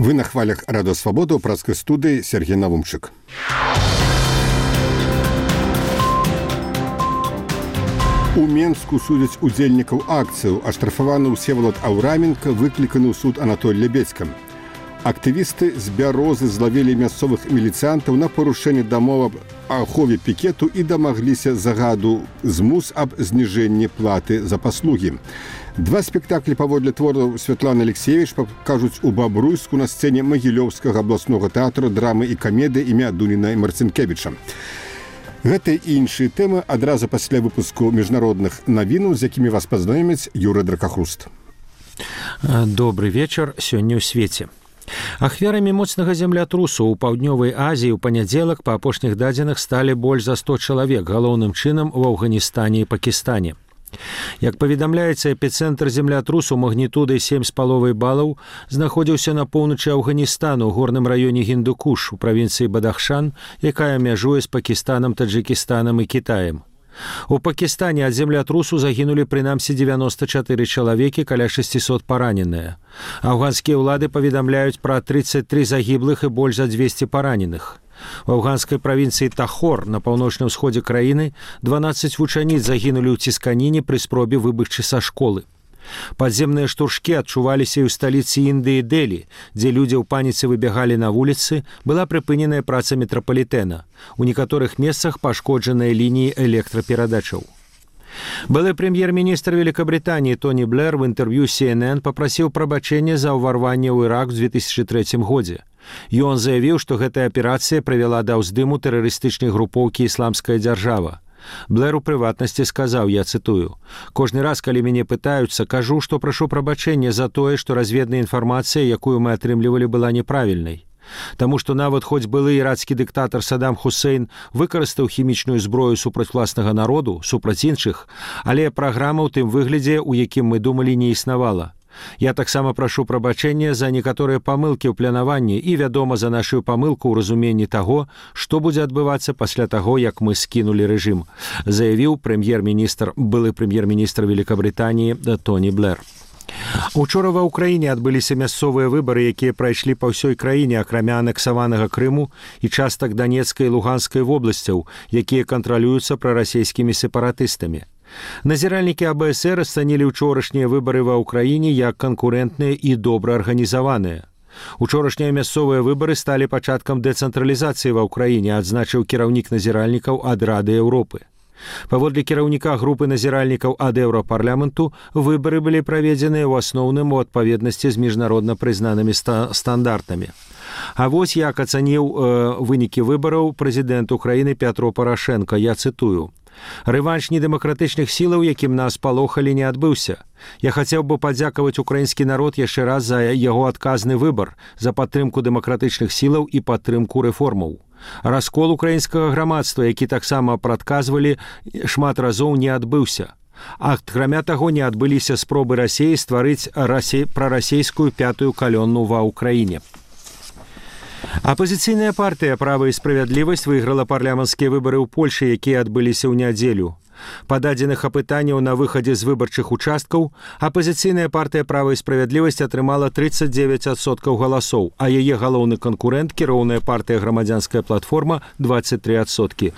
Вы на хвалях Радио Свобода у працкай студыі Сергей Навумчык. У Менску судзяць удзельнікаў акцыяў. Аштрафаваны Всеволод Аўраменка выкліканы ў суд Анатоль Лебедзька. Актывісты з Бярозы злавілі мясцовых міліцыянтаў на парушэнне дамоў аб ахове пікету і дамагліся загаду змус аб зніжэнні платы за паслугі. Два спектаклі паводле твораў Святланы Алексеевич пакажуць у Бабруйску на сцэне Магілёўскага абласнога тэатру драмы і камедыі імя Дуніна і Марцінкевіча. Гэта і іншыя тэмы адразу пасля выпуску міжнародных навінаў, з якімі вас пазнаёміць Юрый Дракахруст. Добрый вечар, сёння ў свеце. Ахвярамі моцнага землятрусу ў паўднёвай Азіі ў панядзелак па апошніх дадзеных сталі больш за 100 чалавек, галоўным чынам у Афганістане і Пакістане. Як паведамляецца, эпіцэнтр землятрусу магнітудай 7,5 балаў знаходзіўся на поўначы Афганістану ў горным раёне Гіндукуш у правінцыі Бадахшан, якая мяжуе з Пакістанам, Таджыкістанам і Кітаем. У Пакістане ад землятрусу загінулі прынамсі 94 чалавекі, каля 600 параненыя. Афганскія ўлады паведамляюць пра 33 загіблых і больш за 200 параненых. У афганскай правінцыі Тахор на паўночным усходзе краіны 12 вучаніц загінулі ў цісканіне пры спробе выбегчы са школы. Падземныя штуршкі адчуваліся і ў сталіцы Індыі Дэлі, дзе людзі ў паніцы выбягалі на вуліцы, была прыпыненая праца метрапалітэна. У некаторых месцах пашкоджаныя лініі электраперадачаў. Былы прэм'ер-міністр Великабритании Тони Блэр в інтэрв'ю CNN папрасіў прабачэння за ўварванне ў Ірак у 2003 годзе. Ён заявіў, што гэтая аперацыя прывяла да ўздыму тэрарыстычнай групоўкі «Ісламская дзяржава». Блэр у прыватнасці сказаў, я цытую: «Кожны раз, калі мяне пытаюцца, кажу, што прашу прабачэння за тое, што разведная інфармацыя, якую мы атрымлівалі, была неправільнай. Таму што нават хоць былы ірацкі дыктатар Саддам Хусейн выкарыстаў хімічную зброю супраць власнага народу, супраць іншых, але праграма ў тым выглядзе, у якім мы думалі, не існавала. Я таксама прашу прабачэння за некаторыя памылкі ў планаванні і, вядома, за нашу памылку ў разуменні таго, што будзе адбывацца пасля таго, як мы скінулі рэжым», заявіў былы прэм'ер-міністр Великабритании Тони Блэр. Учора ва ўкраіне адбыліся мясцовыя выбары, якія прайшлі па ўсёй краіне, акрамя анексаванага Крыму і частак Данецкай і Луганскай вобласцяў, якія кантралююцца прарасійскімі сепаратыстамі. Назіральнікі АБСР ацанілі ўчорашнія выбары ва ўкраіне як канкурэнтныя і добра арганізаваныя. Учорашнія мясцовыя выбары сталі пачаткам дэцэнтралізацыі ва ўкраіне, адзначыў кіраўнік назіральнікаў ад Рады Еўропы. Паводле кіраўніка групы назіральнікаў ад Еўрапарламенту, выбары былі праведзеныя ў асноўным у адпаведнасці з міжнародна прызнанымі стандартамі. А вось як ацаніў вынікі выбараў прэзідэнт Украіны Пятро Парашенко, я цытую: «Рэванш недэмакратычных сілаў, якім нас палохалі, не адбыўся. Я хацеў бы падзякаваць украінскі народ яшчэ раз за яго адказны выбар, за падтрымку дэмакратычных сілаў і падтрымку рэформаў. Раскол украінскага грамадства, які таксама прадказвалі шмат разоў, не адбыўся. Акрамя таго, не адбыліся спробы Расіі стварыць прарасійскую пятую калонну ва ўкраіне». Апазіцыйная партыя «Права і справядлівасць» выйграла парламенцкія выбары ў Польшы, якія адбыліся ў нядзелю. Па дадзеных апытанняў на выхадзе з выбарчых участкаў, апазіцыйная партыя «Права і справядлівасць» атрымала 39% галасоў, а яе галоўны канкурэнт, кіроўная партыя «Грамадзянская платформа» 23%.